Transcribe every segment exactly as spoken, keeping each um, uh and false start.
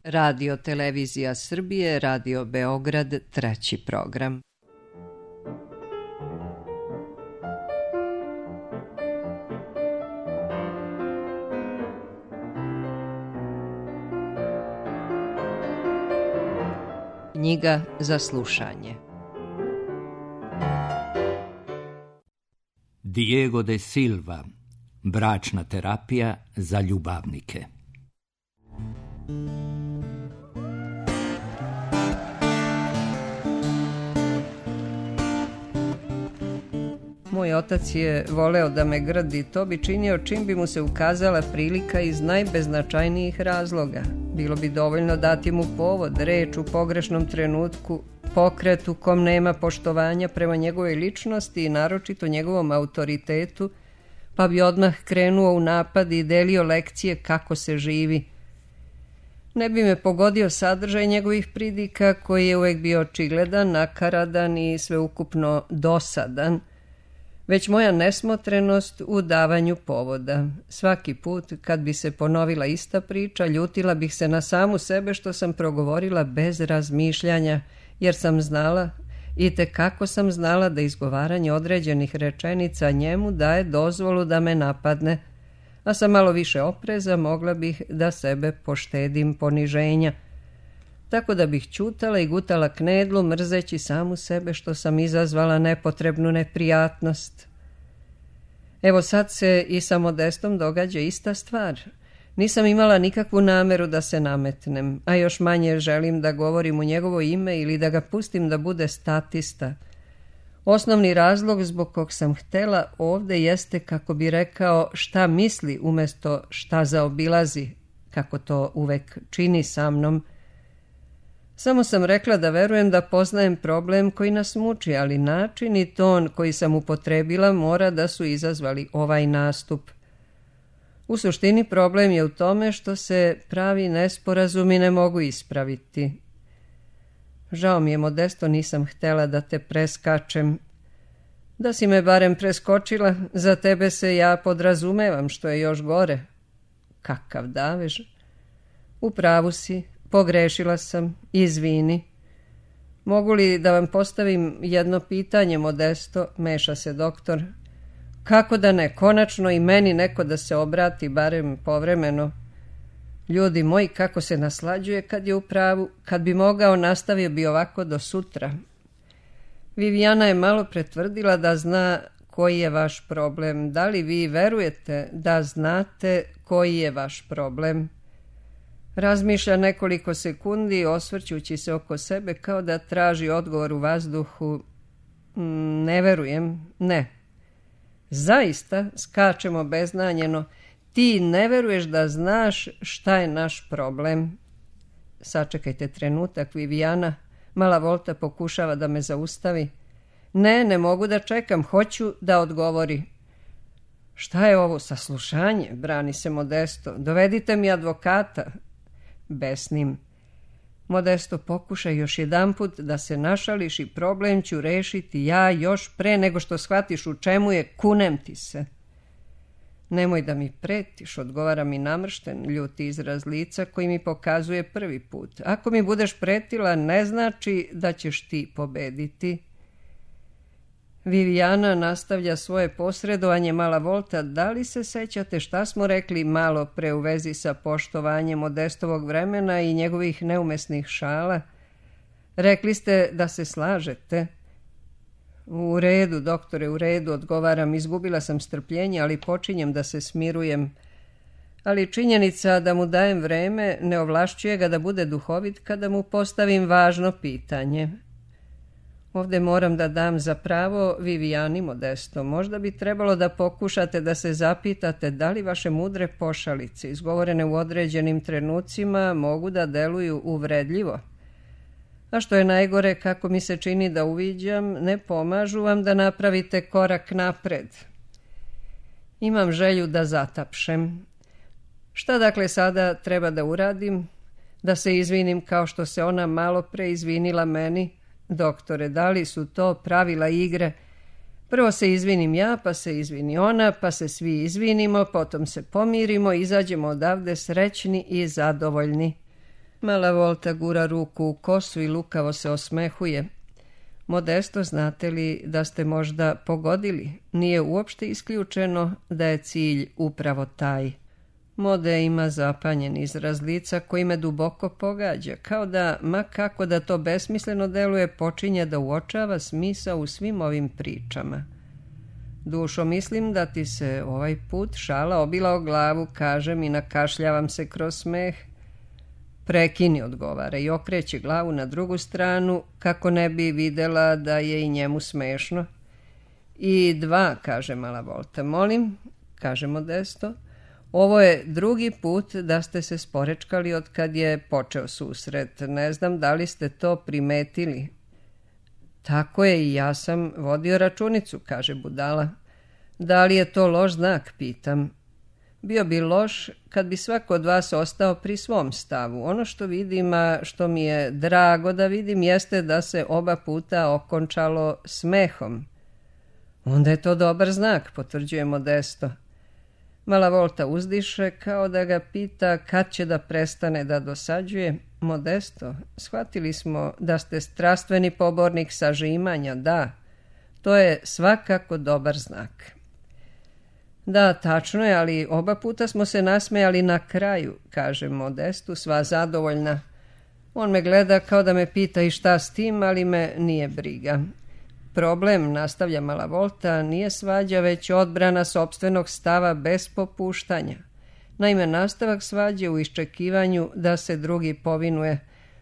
Radio Televizija Srbije, Radio Beograd, treći program. Knjiga za slušanje. Diego de Silva, bračna terapija za ljubavnike. Moj otac je voleo da me grdi, to bi činio čim bi mu se ukazala prilika iz najbeznačajnijih razloga. Bilo bi dovoljno dati mu povod, reč u pogrešnom trenutku, pokret u kom nema poštovanja prema njegovoj ličnosti i naročito njegovom autoritetu, pa bi odmah krenuo u napad i delio lekcije kako se živi. Ne bi me pogodio sadržaj njegovih pridika, koji je uvek bio očigledan, nakaradan i sveukupno dosadan, već moja nesmotrenost u davanju povoda. Svaki put kad bi se ponovila ista priča, ljutila bih se na samu sebe što sam progovorila bez razmišljanja, jer sam znala, i tekako sam znala da izgovaranje određenih rečenica njemu daje dozvolu da me napadne, a sa malo više opreza mogla bih da sebe poštedim poniženja. Tako da bih ćutala i gutala knedlu, mrzeći samu sebe što sam izazvala nepotrebnu neprijatnost. Evo sad se i sa Modestom događa ista stvar. Nisam imala nikakvu nameru da se nametnem, a još manje želim da govorim u njegovo ime ili da ga pustim da bude statista. Osnovni razlog zbog kog sam htela ovde jeste, kako bi rekao, šta misli umjesto šta zaobilazi, kako to uvek čini sa mnom. Samo sam rekla da verujem da poznajem problem koji nas muči, ali način i ton koji sam upotrebila mora da su izazvali ovaj nastup. U suštini problem je u tome što se pravi nesporazumi ne mogu ispraviti. Žao mi je, Modesto, nisam htela da te preskačem. Da si me barem preskočila, za tebe se ja podrazumevam, što je još gore. Kakav davež. U pravu si, pogrešila sam, izvini. Mogu li da vam postavim jedno pitanje, Modesto, meša se doktor. Kako da ne, konačno i meni neko da se obrati, barem povremeno. Ljudi moji, kako se naslađuje kad je u pravu, kad bi mogao nastavio bi ovako do sutra. Viviana je malo pretvrdila da zna koji je vaš problem. Da li vi verujete da znate koji je vaš problem? Razmišlja nekoliko sekundi, osvrćući se oko sebe kao da traži odgovor u vazduhu. Ne verujem, ne. Zaista, skačemo beznanjeno, ti ne veruješ da znaš šta je naš problem. Sačekajte trenutak, Viviana. Mala Volta pokušava da me zaustavi. Ne, ne mogu da čekam, hoću da odgovori. Šta je ovo, saslušanje? Brani se Modesto. Dovedite mi advokata. Besnim. Modesto, pokušaj još jedanput da se našališ i problem ću rešiti ja još pre nego što shvatiš u čemu je, kunem ti se. Nemoj da mi pretiš, odgovara mi namršten, ljuti izraz lica koji mi pokazuje prvi put. Ako mi budeš pretila, ne znači da ćeš ti pobediti. Viviana nastavlja svoje posredovanje. Mala Volta, da li se sećate šta smo rekli malo pre u vezi sa poštovanjem Modestovog vremena i njegovih neumesnih šala? Rekli ste da se slažete. U redu, doktore, u redu, odgovaram. Izgubila sam strpljenje, ali počinjem da se smirujem. Ali činjenica da mu dajem vreme ne ovlašćuje ga da bude duhovit kada mu postavim važno pitanje. Ovde moram da dam za pravo Vivijani, Modesto. Možda bi trebalo da pokušate da se zapitate da li vaše mudre pošalice, izgovorene u određenim trenucima, mogu da deluju uvredljivo. A što je najgore, kako mi se čini da uviđam, ne pomažu vam da napravite korak napred. Imam želju da zatapšem. Šta dakle sada treba da uradim? Da se izvinim kao što se ona malo pre izvinila meni? Doktore, da li su to pravila igre? Prvo se izvinim ja, pa se izvini ona, pa se svi izvinimo, potom se pomirimo i izađemo odavde srećni i zadovoljni. Mala Volta gura ruku u kosu i lukavo se osmehuje. Modesto, znate li da ste možda pogodili? Nije uopšte isključeno da je cilj upravo taj. Mode ima zapanjen izraz lica koji me duboko pogađa, kao da, ma kako da to besmisleno deluje, počinje da uočava smisao u svim ovim pričama. Dušo, mislim da ti se ovaj put šala obila o glavu, kažem i nakašljavam se kroz smeh. Prekini, odgovara i okreće glavu na drugu stranu, kako ne bi videla da je i njemu smešno. I dva, kaže Mala Volta. Molim, kaže Modesto, ovo je drugi put da ste se sporečkali od kad je počeo susret. Ne znam da li ste to primetili. Tako je, i ja sam vodio računicu, kaže budala. Da li je to loš znak, pitam. Bio bi loš kad bi svako od vas ostao pri svom stavu. Ono što vidim, a što mi je drago da vidim, jeste da se oba puta okončalo smehom. Onda je to dobar znak, potvrđuje Modesto. Mala Volta uzdiše kao da ga pita kad će da prestane da dosađuje. Modesto, shvatili smo da ste strastveni pobornik sažimanja, da. To je svakako dobar znak. Da, tačno je, ali oba puta smo se nasmejali na kraju, kaže Modestu, sva zadovoljna. On me gleda kao da me pita i šta s tim, ali me nije briga. Problem, nastavlja Mala Volta, nije svađa, već odbrana sopstvenog stava bez popuštanja. Naime, nastavak svađe u iščekivanju da se drugi povinuje.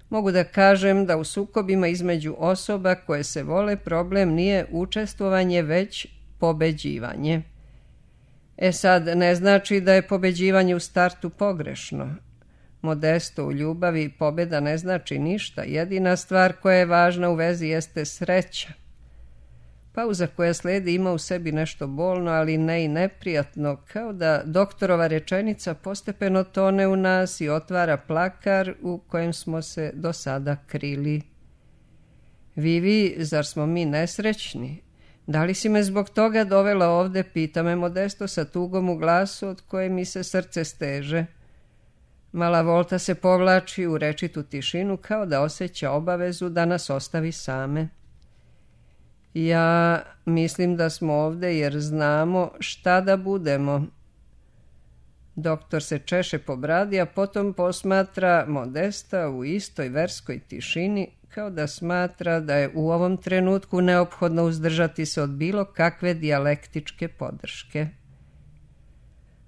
Mogu da kažem da u sukobima između osoba koje se vole problem nije učestvovanje, već pobeđivanje. E sad, ne znači da je pobeđivanje u startu pogrešno. Modesto, u ljubavi pobjeda ne znači ništa. Jedina stvar koja je važna u vezi jeste sreća. Pauza koja sledi ima u sebi nešto bolno, ali ne i neprijatno, kao da doktorova rečenica postepeno tone u nas i otvara plakar u kojem smo se do sada krili. Vivi, zar smo mi nesrećni? Da li si me zbog toga dovela ovde, pita me Modesto sa tugom u glasu od koje mi se srce steže. Mala Volta se povlači u rečitu tišinu kao da osjeća obavezu da nas ostavi same. Ja mislim da smo ovde jer znamo šta da budemo. Doktor se češe po bradi, a potom posmatra Modesta u istoj verskoj tišini, kao da smatra da je u ovom trenutku neophodno uzdržati se od bilo kakve dijalektičke podrške.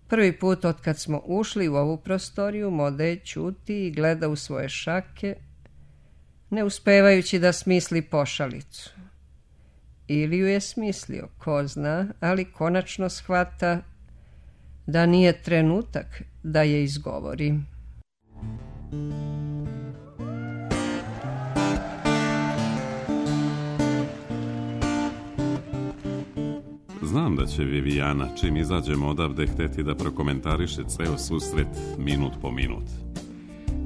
Prvi put od kad smo ušli u ovu prostoriju, Mode ćuti i gleda u svoje šake, ne uspevajući da smisli pošalicu. Ili ju je smislio, ko zna, ali konačno shvata da nije trenutak da je izgovori. Znam da će Vivijana, čim izađemo odavde, hteti da prokomentariše ceo susret minut po minut.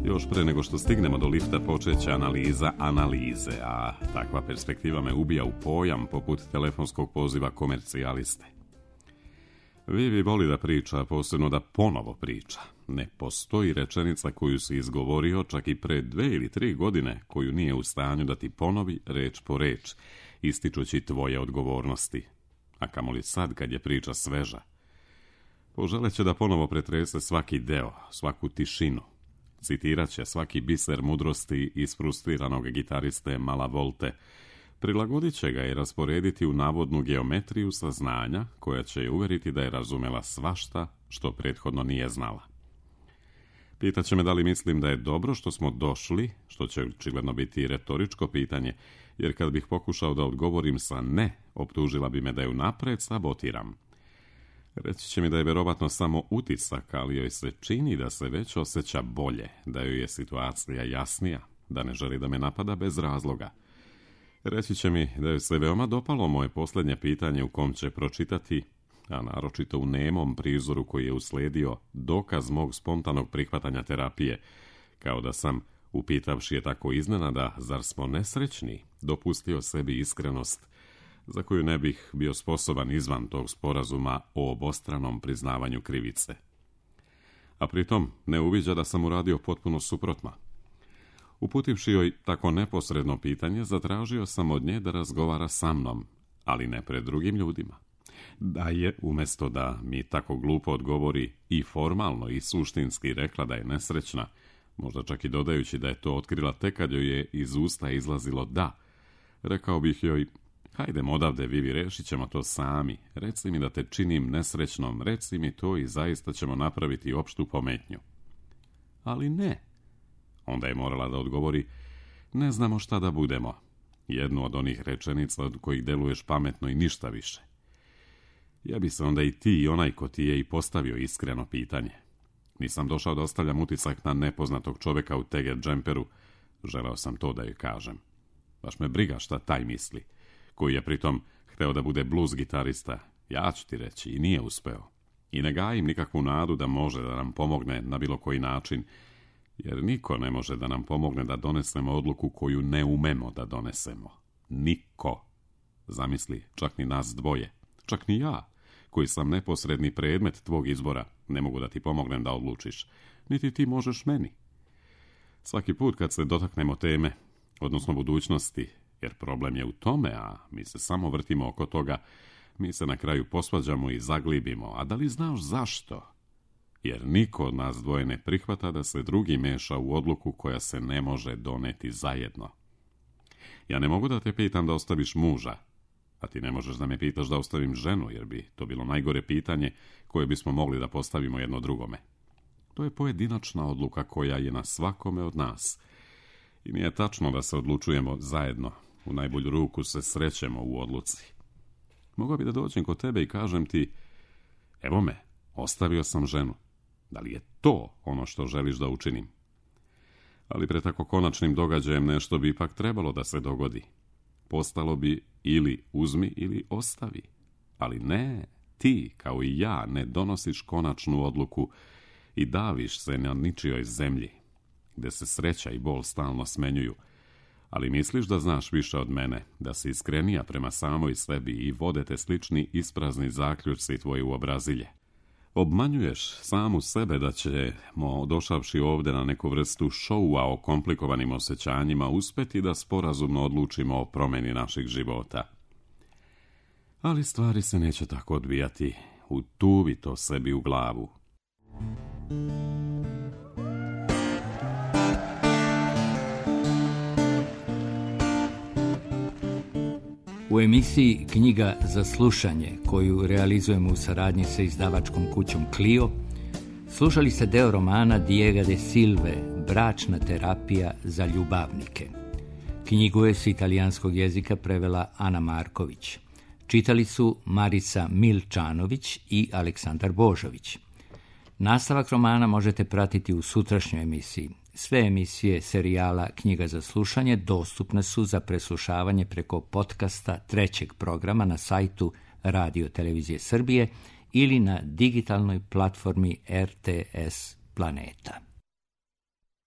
Još pre nego što stignemo do lifta počeće analiza analize, a takva perspektiva me ubija u pojam poput telefonskog poziva komercijaliste. Vivi voli da priča, posebno da ponovo priča. Ne postoji rečenica koju si izgovorio čak i pre dve ili tri godine koju nije u stanju da ti ponovi reč po reč, ističući tvoje odgovornosti. A kamoli sad kad je priča sveža. Poželeće da ponovo pretrese svaki deo, svaku tišinu. Citirat će svaki biser mudrosti isfrustriranog gitariste Mala Volte, prilagodit će ga i rasporediti u navodnu geometriju saznanja koja će je uveriti da je razumela svašta što prethodno nije znala. Pitaće me da li mislim da je dobro što smo došli, što će očigledno biti retoričko pitanje, jer kad bih pokušao da odgovorim sa ne, optužila bi me da je unapred sabotiram. Reći će mi da je verovatno samo utisak, ali joj se čini da se već osjeća bolje, da joj je situacija jasnija, da ne želi da me napada bez razloga. Reći će mi da joj se veoma dopalo moje posljednje pitanje u kom će pročitati, a naročito u nemom prizoru koji je usledio, dokaz mog spontanog prihvatanja terapije, kao da sam, upitavši je tako iznenada, zar smo nesrećni, dopustio sebi iskrenost, za koju ne bih bio sposoban izvan tog sporazuma o obostranom priznavanju krivice. A pritom ne uviđa da sam uradio potpuno suprotno. Uputivši joj tako neposredno pitanje, zatražio sam od nje da razgovara sa mnom, ali ne pred drugim ljudima. Da je, umjesto da mi tako glupo odgovori i formalno i suštinski rekla da je nesrećna, možda čak i dodajući da je to otkrila tek kad joj je iz usta izlazilo da, rekao bih joj: hajdemo odavde, Vivi, rešit ćemo to sami. Reci mi da te činim nesrećnom, reci mi to i zaista ćemo napraviti opštu pometnju. Ali ne. Onda je morala da odgovori: ne znamo šta da budemo. Jednu od onih rečenica od kojih deluješ pametno i ništa više. Ja bi se onda i ti i onaj ko ti je i postavio iskreno pitanje. Nisam došao da ostavljam utisak na nepoznatog čoveka u teget džemperu. Želeo sam to da joj kažem. Baš me briga šta taj misli, koji je pritom hteo da bude blues gitarista. Ja ću ti reći, i nije uspeo. I ne gajim nikakvu nadu da može da nam pomogne na bilo koji način, jer niko ne može da nam pomogne da donesemo odluku koju ne umemo da donesemo. Niko. Zamisli, čak ni nas dvoje. Čak ni ja, koji sam neposredni predmet tvog izbora, ne mogu da ti pomognem da odlučiš. Niti ti možeš meni. Svaki put kad se dotaknemo teme, odnosno budućnosti, jer problem je u tome, a mi se samo vrtimo oko toga, mi se na kraju posvađamo i zaglibimo. A da li znaš zašto? Jer niko od nas dvoje ne prihvata da se drugi meša u odluku koja se ne može doneti zajedno. Ja ne mogu da te pitam da ostaviš muža, a ti ne možeš da me pitaš da ostavim ženu, jer bi to bilo najgore pitanje koje bismo mogli da postavimo jedno drugome. To je pojedinačna odluka koja je na svakome od nas. I nije tačno da se odlučujemo zajedno. U najbolju ruku se srećemo u odluci. Mogao bi da dođem kod tebe i kažem ti: evo me, ostavio sam ženu. Da li je to ono što želiš da učinim? Ali pred tako konačnim događajem nešto bi ipak trebalo da se dogodi. Postalo bi ili uzmi ili ostavi. Ali ne, ti, kao i ja, ne donosiš konačnu odluku i daviš se na ničijoj zemlji, gde se sreća i bol stalno smenjuju. Ali misliš da znaš više od mene, da si iskrenija prema samoj sebi i vode te slični isprazni zaključci tvoje uobrazilje. Obmanjuješ samu sebe da ćemo, došavši ovde na neku vrstu šoua o komplikovanim osjećanjima, uspeti da sporazumno odlučimo o promeni naših života. Ali stvari se neće tako odvijati. Utuvi to sebi u glavu. U emisiji Knjiga za slušanje, koju realizujemo u saradnji sa izdavačkom kućom Clio, slušali ste deo romana Diega de Silve, Bračna terapija za ljubavnike. Knjigu je s italijanskog jezika prevela Ana Marković. Čitali su Marica Milčanović i Aleksandar Božović. Nastavak romana možete pratiti u sutrašnjoj emisiji. Sve emisije serijala Knjiga za slušanje dostupne su za preslušavanje preko podcasta trećeg programa na sajtu Radio Televizije Srbije ili na digitalnoj platformi R T S Planeta.